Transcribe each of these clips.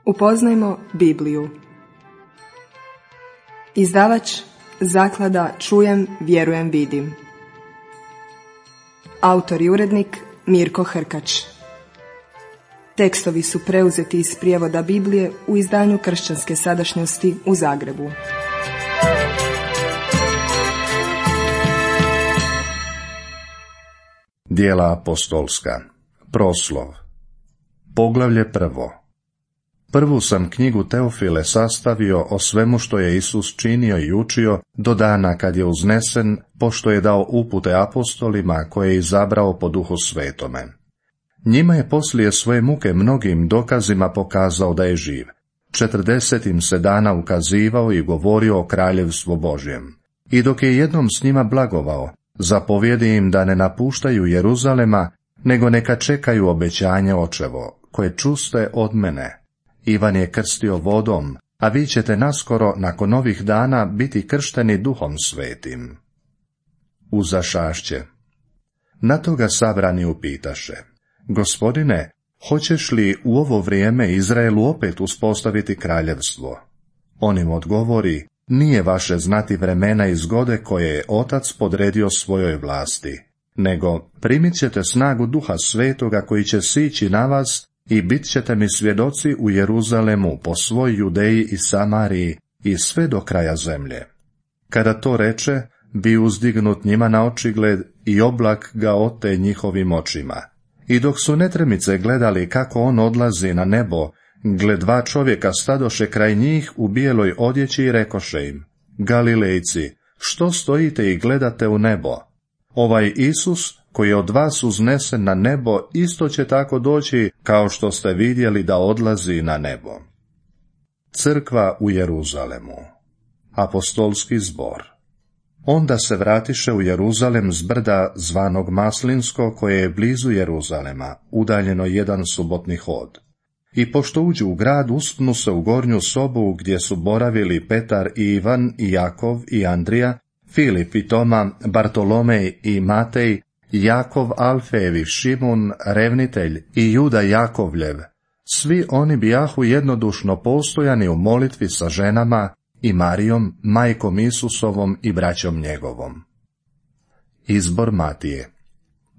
Upoznajmo Bibliju. Izdavač Zaklada Čujem, vjerujem, vidim. Autor i urednik Mirko Hrkač. Tekstovi su preuzeti iz prijevoda Biblije u izdanju Kršćanske sadašnjosti u Zagrebu. Djela apostolska. Proslov. Poglavlje 1. Prvu sam knjigu Teofile sastavio o svemu što je Isus činio i učio do dana kad je uznesen, pošto je dao upute apostolima koje je izabrao po Duhu Svetome. Njima je poslije svoje muke mnogim dokazima pokazao da je živ. 40 im se dana ukazivao i govorio o kraljevstvu Božjem. I dok je jednom s njima blagovao, zapovjedi im da ne napuštaju Jeruzalema, nego neka čekaju obećanje Očevo, koje čuste od mene. Ivan je krstio vodom, a vi ćete naskoro nakon ovih dana biti kršteni Duhom Svetim. Uzašašće. Na to ga sabrani upitaše: Gospodine, hoćeš li u ovo vrijeme Izraelu opet uspostaviti kraljevstvo? On im odgovori: Nije vaše znati vremena i zgode koje je Otac podredio svojoj vlasti, nego primit ćete snagu Duha Svetoga koji će sići na vas i bit ćete mi svjedoci u Jeruzalemu, po svoj Judeji i Samariji i sve do kraja zemlje. Kada to reče, bi uzdignut njima na očigled i oblak ga ote njihovim očima. I dok su netremice gledali kako on odlazi na nebo, gle, 2 čovjeka stadoše kraj njih u bijeloj odjeći i rekoše im: Galilejci, što stojite i gledate u nebo? Ovaj Isus, koji je od vas uznesen na nebo, isto će tako doći kao što ste vidjeli da odlazi na nebo. Crkva u Jeruzalemu. Apostolski zbor. Onda se vratiše u Jeruzalem s brda zvanog Maslinsko, koje je blizu Jeruzalema, udaljeno 1 subotni hod. I pošto uđu u grad, uspnu se u gornju sobu gdje su boravili Petar i Ivan i Jakov i Andrija, Filip i Toma, Bartolomej i Matej, Jakov Alfejevi, Šimun revnitelj i Juda Jakovljev. Svi oni bijahu jednodušno postojani u molitvi sa ženama i Marijom, majkom Isusovom i braćom njegovom. Izbor Matije.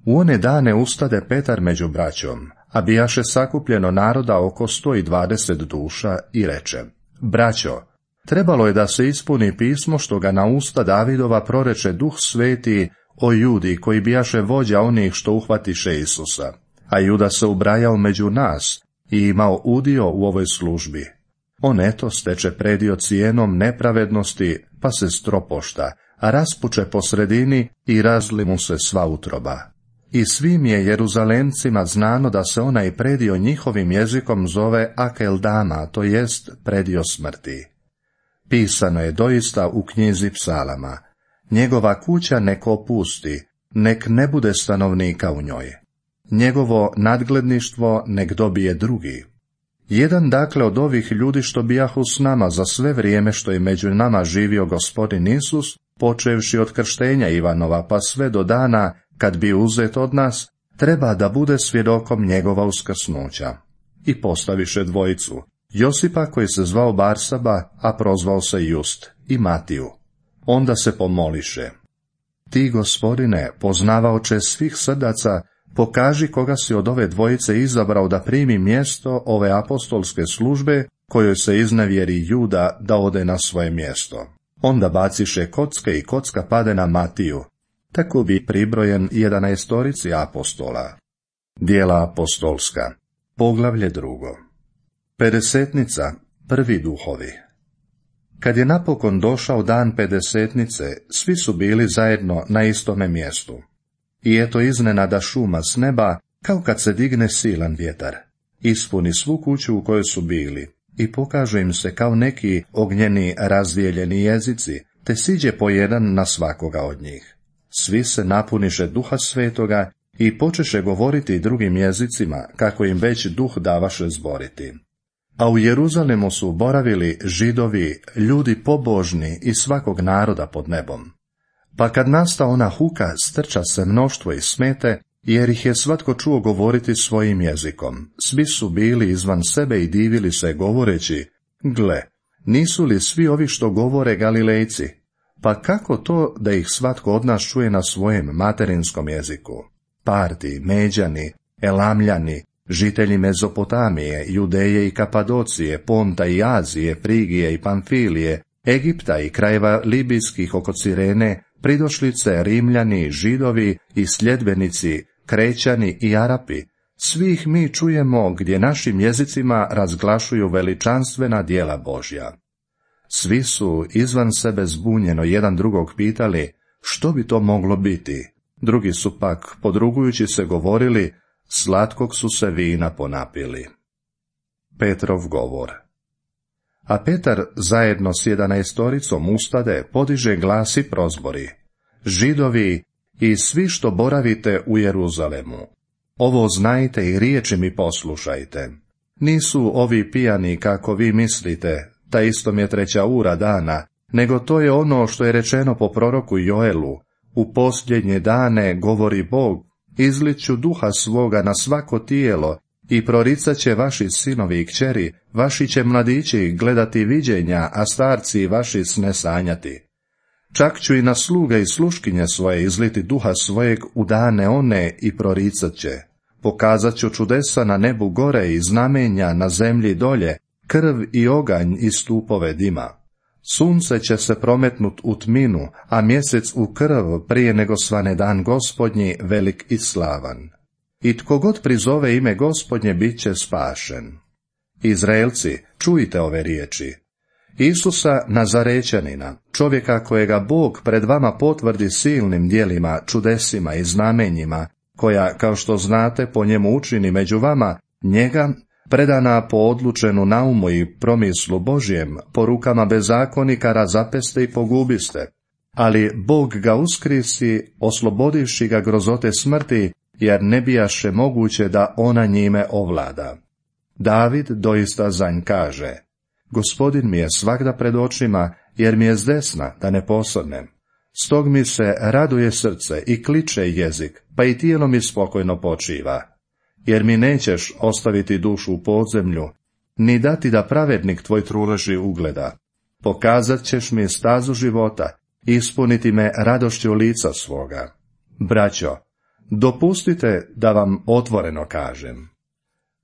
U one dane ustade Petar među braćom, a bijaše sakupljeno naroda oko 120 duša, i reče: Braćo, trebalo je da se ispuni pismo što ga na usta Davidova proreče Duh Sveti o Judi, koji bijaše vođa onih što uhvatiše Isusa. A Juda se ubrajao među nas i imao udio u ovoj službi. On eto steče predio cijenom nepravednosti, pa se stropošta, a raspuče po sredini i razli mu se sva utroba. I svim je Jeruzalemcima znano da se onaj predio njihovim jezikom zove Akeldama, to jest predio smrti. Pisano je doista u knjizi Psalama: Njegova kuća nek opusti, nek ne bude stanovnika u njoj. Njegovo nadgledništvo nek dobije drugi. Jedan dakle od ovih ljudi što bijahu s nama za sve vrijeme što je među nama živio Gospodin Isus, počevši od krštenja Ivanova pa sve do dana kad bi uzet od nas, treba da bude svjedokom njegova uskrsnuća. I postaviše dvojicu: Josipa, koji se zvao Barsaba, a prozvao se Just, i Matiju. Onda se pomoliše: Ti, Gospodine, poznavaoče svih srdaca, pokaži koga si od ove dvojice izabrao da primi mjesto ove apostolske službe, kojoj se iznevjeri Juda da ode na svoje mjesto. Onda baciše kocke i kocka pade na Matiju. Tako bi pribrojen 11 apostola. Djela apostolska. Poglavlje 2. Pedesetnica, prvi duhovi. Kad je napokon došao dan pedesetnice, svi su bili zajedno na istome mjestu. I eto iznenada šuma s neba, kao kad se digne silan vjetar. Ispuni svu kuću u kojoj su bili i pokaže im se kao neki ognjeni razdijeljeni jezici, te siđe po jedan na svakoga od njih. Svi se napuniše Duha Svetoga i počeše govoriti drugim jezicima, kako im već Duh davaše zboriti. A u Jeruzalemu su boravili Židovi, ljudi pobožni iz svakog naroda pod nebom. Pa kad nasta ona huka, strča se mnoštvo i smete jer ih je svatko čuo govoriti svojim jezikom. Svi su bili izvan sebe i divili se, govoreći: gle, nisu li svi ovi što govore Galilejci? Pa kako to da ih svatko od nas čuje na svojem materinskom jeziku? Parti, Međani, Elamljani, žitelji Mezopotamije, Judeje i Kapadocije, Ponta i Azije, Frigije i Pamfilije, Egipta i krajeva libijskih oko Cirene, pridošlice, Rimljani, Židovi i sljedbenici, Krećani i Arapi, svih mi čujemo gdje našim jezicima razglašuju veličanstvena djela Božja. Svi su izvan sebe zbunjeno jedan drugog pitali što bi to moglo biti. Drugi su pak, podrugujući se, govorili: slatkog su se vina ponapili. Petrov govor. A Petar zajedno s 11 ustade, podiže glas i prozbori: Židovi i svi što boravite u Jeruzalemu, ovo znajte i riječi mi poslušajte. Nisu ovi pijani kako vi mislite, ta istom je 3 ura dana, nego to je ono što je rečeno po proroku Joelu: u posljednje dane, govori Bog, izliću duha svoga na svako tijelo i proricat će vaši sinovi i kćeri, vaši će mladići gledati viđenja, a starci vaši sne sanjati. Čak ću i na sluge i sluškinje svoje izliti duha svojeg u dane one i proricat će. Pokazat ću čudesa na nebu gore i znamenja na zemlji dolje, krv i oganj i stupove dima. Sunce će se prometnut u tminu, a mjesec u krv prije nego svane dan Gospodnji velik i slavan. I tko god prizove ime Gospodnje bit će spašen. Izraelci, čujte ove riječi. Isusa Nazarećanina, čovjeka kojega Bog pred vama potvrdi silnim djelima, čudesima i znamenjima, koja, kao što znate, po njemu učini među vama, njega, predana po odlučenu naumu i promislu Božjem, po rukama bezakonika razapeste i pogubiste. Ali Bog ga uskrisi, oslobodivši ga grozote smrti, jer ne bijaše moguće da ona njime ovlada. David doista za nj kaže: Gospodin mi je svagda pred očima, jer mi je zdesna, da ne posrnem. Stog mi se raduje srce i kliče jezik, pa i tijelo mi spokojno počiva. Jer mi nećeš ostaviti dušu u podzemlju, ni dati da pravednik tvoj truleži ugleda. Pokazat ćeš mi stazu života, ispuniti me radošću lica svoga. Braćo, dopustite da vam otvoreno kažem.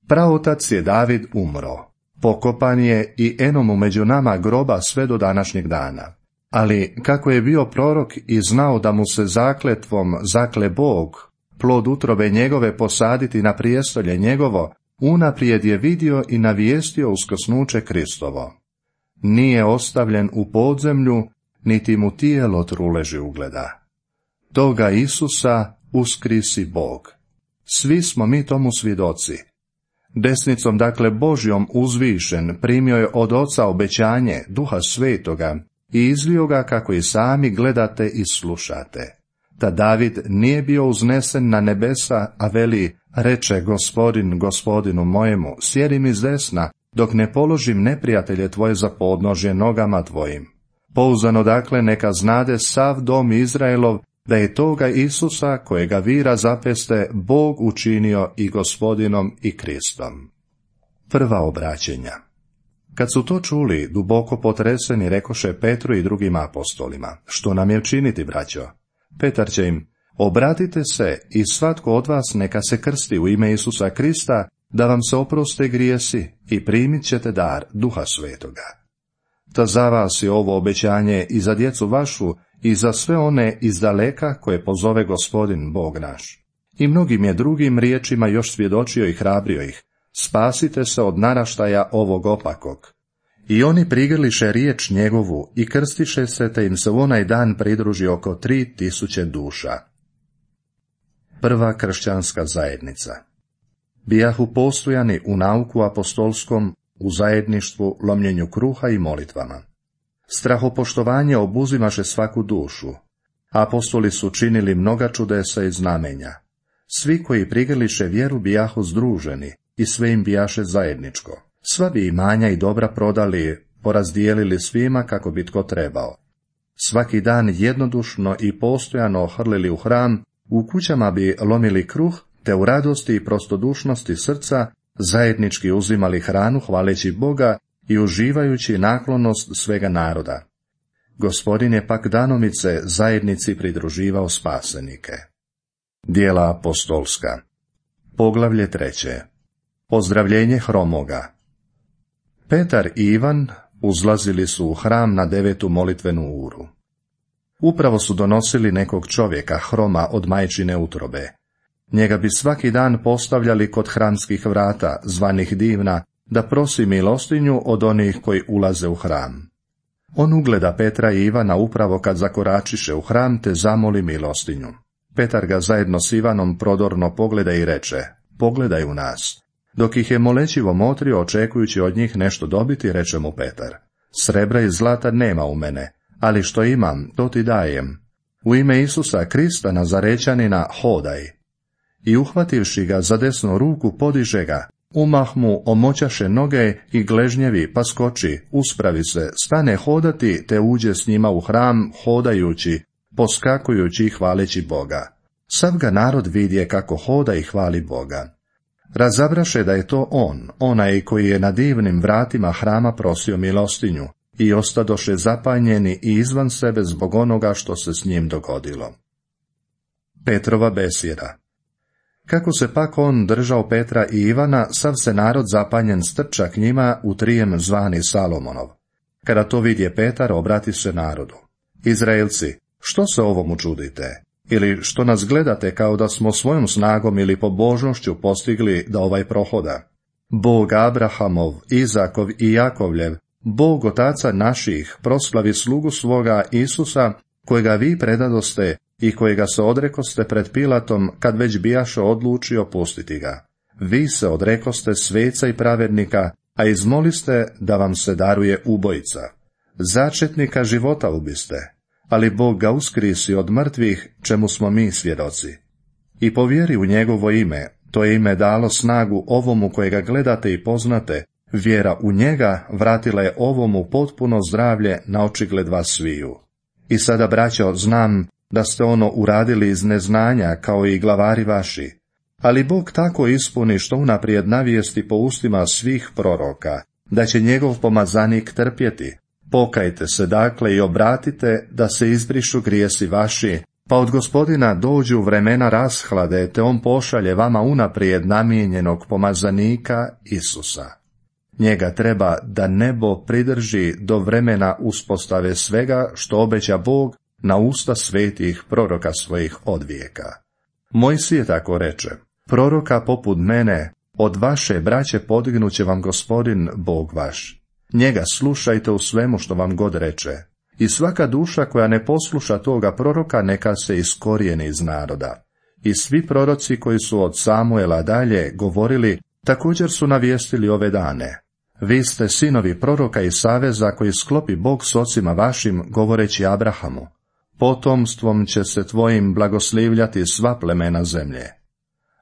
Praotac je David umro, pokopan je i enomu među nama groba sve do današnjeg dana. Ali kako je bio prorok i znao da mu se zakletvom zakle Bog, plod utrobe njegove posaditi na prijestolje njegovo, unaprijed je vidio i navijestio uskrsnuće Kristovo. Nije ostavljen u podzemlju, niti mu tijelo truleži ugleda. Toga Isusa uskrisi Bog. Svi smo mi tomu svjedoci. Desnicom, dakle Božjom uzvišen, primio je od Oca obećanje Duha Svetoga i izlio ga kako i sami gledate i slušate. Ta David nije bio uznesen na nebesa, a veli: reče Gospodin Gospodinu mojemu, sjedi mi s desna, dok ne položim neprijatelje tvoje za podnožje nogama tvojim. Pouzdano dakle neka znade sav dom Izraelov, da je toga Isusa, kojega vi razapeste, Bog učinio i Gospodinom i Kristom. Prva obraćenja. Kad su to čuli, duboko potreseni, rekoše Petru i drugim apostolima: što nam je činiti, braćo? Petar će im: obratite se i svatko od vas neka se krsti u ime Isusa Krista, da vam se oproste grijesi, i primit ćete dar Duha Svetoga. Ta za vas je ovo obećanje i za djecu vašu i za sve one izdaleka koje pozove Gospodin Bog naš. I mnogim je drugim riječima još svjedočio i hrabrio ih: spasite se od naraštaja ovog opakog. I oni prigrliše riječ njegovu i krstiše se, te im se u onaj dan pridruži oko 3000 duša. Prva kršćanska zajednica. Bijahu postojani u nauku apostolskom, u zajedništvu, lomljenju kruha i molitvama. Strahopoštovanje obuzimaše svaku dušu. Apostoli su činili mnoga čudesa i znamenja. Svi koji prigrliše vjeru bijahu združeni i sve im bijaše zajedničko. Sva bi imanja i dobra prodali, porazdijelili svima kako bi tko trebao. Svaki dan jednodušno i postojano hrlili u hram, U kućama bi lomili kruh, te u radosti i prostodušnosti srca zajednički uzimali hranu hvaleći Boga i uživajući naklonost svega naroda. Gospodin je pak danomice zajednici pridruživao spasenike. Djela apostolska. Poglavlje 3. Pozdravljenje hromoga. Petar i Ivan uzlazili su u hram na 9. molitvenu uru. Upravo su donosili nekog čovjeka hroma od majčine utrobe. Njega bi svaki dan postavljali kod hramskih vrata, zvanih Divna, da prosi milostinju od onih koji ulaze u hram. On ugleda Petra i Ivana upravo kad zakoračiše u hram, te zamoli milostinju. Petar ga zajedno s Ivanom prodorno pogleda i reče: pogledaj u nas. Dok ih je molećivo motrio, očekujući od njih nešto dobiti, reče mu Petar: srebra i zlata nema u mene, ali što imam, to ti dajem. U ime Isusa Krista Nazarećanina hodaj. I uhvativši ga za desnu ruku, podiže ga, umah mu omoćaše noge i gležnjevi, pa skoči, uspravi se, stane hodati, te uđe s njima u hram, hodajući, poskakujući i hvaleći Boga. Sav ga narod vidje kako hoda i hvali Boga. Razabraše da je to on, onaj koji je na divnim vratima hrama prosio milostinju, i ostadoše zapanjeni i izvan sebe zbog onoga što se s njim dogodilo. Petrova besjeda. Kako se pak on držao Petra i Ivana, sav se narod zapanjen strča k njima u trijem zvani Salomonov. Kada to vidje Petar, obrati se narodu: Izraelci, što se ovomu čudite? Ili što nas gledate kao da smo svojom snagom ili pobožnošću postigli da ovaj prohoda? Bog Abrahamov, Izakov i Jakovljev, Bog otaca naših, proslavi slugu svoga Isusa, kojega vi predadoste i kojega se odrekoste pred Pilatom, kad već bijaše odlučio pustiti ga. Vi se odrekoste sveca i pravednika, a izmoliste da vam se daruje ubojica. Začetnika života ubiste, ali Bog ga uskrisi od mrtvih, čemu smo mi svjedoci. I povjeri u njegovo ime, to je ime dalo snagu ovomu kojega gledate i poznate, vjera u njega vratila je ovomu potpuno zdravlje na očigled vas sviju. I sada, braćo, znam da ste ono uradili iz neznanja, kao i glavari vaši, ali Bog tako ispuni što unaprijed navijesti po ustima svih proroka, da će njegov pomazanik trpjeti. Pokajte se dakle i obratite, da se izbrišu grijesi vaši, pa od Gospodina dođu vremena rashlade, te on pošalje vama unaprijed namijenjenog pomazanika Isusa. Njega treba da nebo pridrži do vremena uspostave svega što obeća Bog na usta svetih proroka svojih od vijeka. Mojsije tako reče: proroka poput mene od vaše braće podignuće vam Gospodin Bog vaš. Njega slušajte u svemu što vam god reče. I svaka duša koja ne posluša toga proroka, neka se iskorijeni iz naroda. I svi proroci koji su od Samuela dalje govorili, također su navijestili ove dane. Vi ste sinovi proroka i saveza koji sklopi Bog s ocima vašim, govoreći Abrahamu: potomstvom će se tvojim blagoslivljati sva plemena zemlje.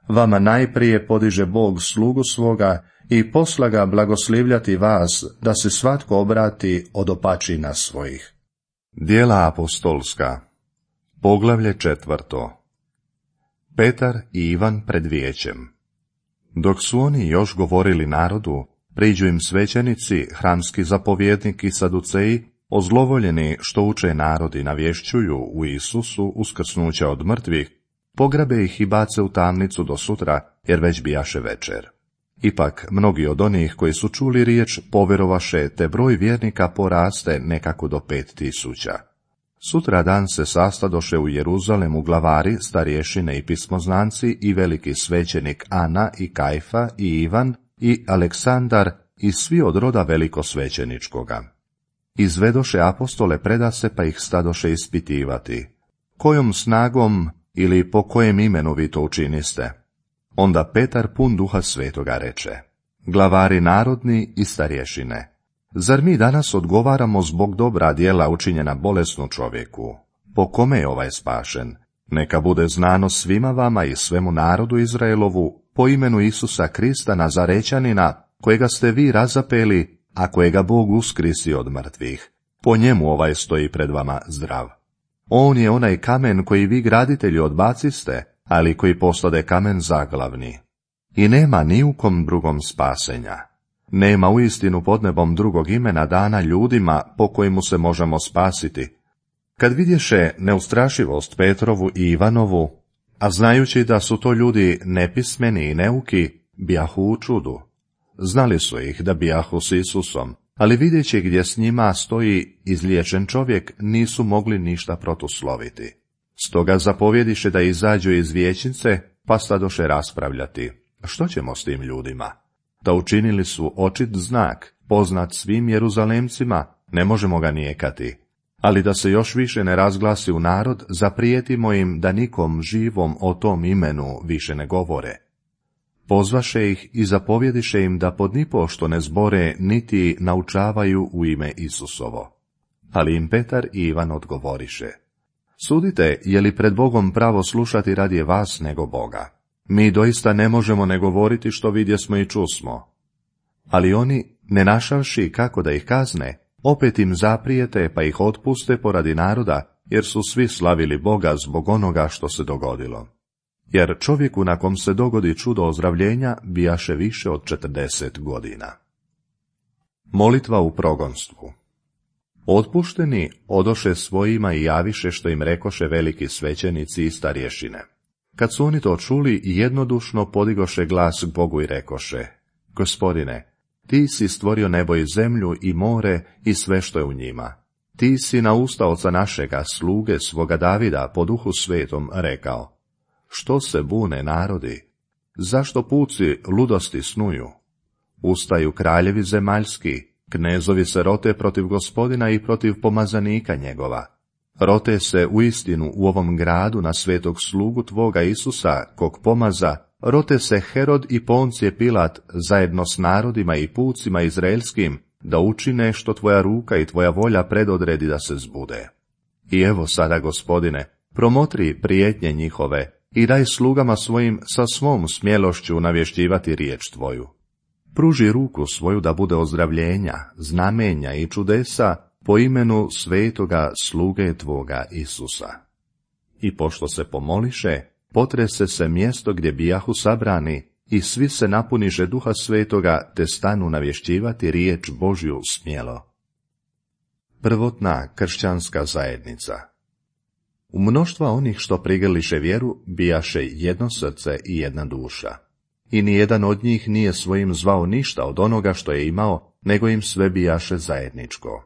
Vama najprije podiže Bog slugu svoga i posla ga blagoslivljati vas, da se svatko obrati od opačina svojih. Djela apostolska. Poglavlje 4. Petar i Ivan pred vijećem. Dok su oni još govorili narodu, priđu im svećenici, hramski zapovjednik i saduceji, ozlovoljeni što uče narod i navješćuju u Isusu uskrsnuće od mrtvih, pograbe ih i bace u tamnicu do sutra, jer već bijaše večer. Ipak mnogi od onih koji su čuli riječ povjerovaše, te broj vjernika poraste nekako do 5000. Sutra dan se sastadoše u Jeruzalemu glavari, starješine i pismoznanci i veliki svećenik Ana i Kajfa i Ivan i Aleksandar i svi od roda velikosvećeničkoga. Izvedoše apostole predase, pa ih stadoše ispitivati: kojom snagom ili po kojem imenu vi to učiniste? Onda Petar pun duha svetoga reče: glavari narodni i starješine, zar mi danas odgovaramo zbog dobra djela učinjena bolesnu čovjeku? Po kome je ovaj spašen? Neka bude znano svima vama i svemu narodu Izraelovu po imenu Isusa Krista Nazarećanina, kojega ste vi razapeli, a kojega Bog uskrisi od mrtvih. Po njemu ovaj stoji pred vama zdrav. On je onaj kamen koji vi graditelji odbaciste, ali koji postade kamen zaglavni. I nema ni u kom drugom spasenja. Nema uistinu pod nebom drugog imena dana ljudima po kojemu se možemo spasiti. Kad vidješe neustrašivost Petrovu i Ivanovu, a znajući da su to ljudi nepismeni i neuki, bijahu u čudu. Znali su ih da bijahu s Isusom, ali vidjeći gdje s njima stoji izliječen čovjek, nisu mogli ništa protusloviti. Stoga zapovjediše da izađu iz vijećnice, pa stadoše raspravljati. Što ćemo s tim ljudima? Da učinili su očit znak, poznat svim Jeruzalemcima, ne možemo ga nijekati. Ali da se još više ne razglasi u narod, zaprijetimo im da nikom živom o tom imenu više ne govore. Pozvaše ih i zapovjediše im da pod nipošto ne zbore niti naučavaju u ime Isusovo. Ali im Petar i Ivan odgovoriše: Sudite, je li pred Bogom pravo slušati radije vas nego Boga? Mi doista ne možemo ne govoriti što vidjesmo i čusmo. Ali oni, ne našavši kako da ih kazne, opet im zaprijete pa ih otpuste poradi naroda, jer su svi slavili Boga zbog onoga što se dogodilo. Jer čovjeku na kom se dogodi čudo ozdravljenja bijaše više od 40 godina. Molitva u progonstvu. Otpušteni odoše svojima i javiše što im rekoše veliki svećenici i starješine. Kad su oni to čuli, jednodušno podigoše glas k Bogu i rekoše: Gospodine, ti si stvorio nebo i zemlju i more i sve što je u njima. Ti si na usta oca našega, sluge svoga Davida, po duhu svetom rekao: Što se bune narodi? Zašto puci ludosti snuju? Ustaju kraljevi zemaljski, knezovi se rote protiv Gospodina i protiv pomazanika njegova. Rote se uistinu u ovom gradu na svetog slugu tvoga Isusa, kog pomaza, rote se Herod i Poncije Pilat zajedno s narodima i pucima izraelskim, da učine što tvoja ruka i tvoja volja predodredi da se zbude. I evo sada, Gospodine, promotri prijetnje njihove i daj slugama svojim sa svom smjelošću navješćivati riječ tvoju. Pruži ruku svoju da bude ozdravljenja, znamenja i čudesa po imenu svetoga sluge tvoga Isusa. I pošto se pomoliše, potrese se mjesto gdje bijahu sabrani i svi se napuniše Duha Svetoga, te stanu navješćivati riječ Božju smjelo. Prvotna kršćanska zajednica. U mnoštva onih što prigrliše vjeru bijaše jedno srce i jedna duša. I nijedan od njih nije svojim zvao ništa od onoga što je imao, nego im sve bijaše zajedničko.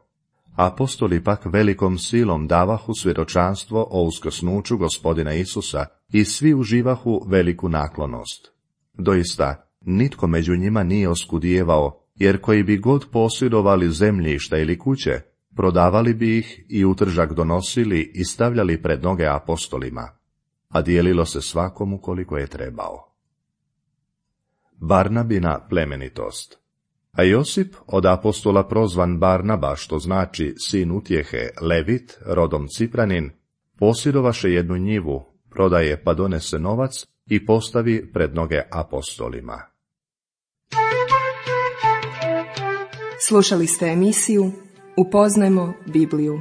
Apostoli pak velikom silom davahu svjedočanstvo o uskrsnuću Gospodina Isusa i svi uživahu veliku naklonost. Doista, nitko među njima nije oskudijevao, jer koji bi god posjedovali zemljišta ili kuće, prodavali bi ih i utržak donosili i stavljali pred noge apostolima, a dijelilo se svakomu koliko je trebao. Barnabina plemenitost. A Josip, od apostola prozvan Barnaba, što znači sin utjehe, Levit, rodom Cipranin, posjedovaše jednu njivu, prodaje pa donese novac i postavi pred noge apostolima. Slušali ste emisiju Upoznajmo Bibliju.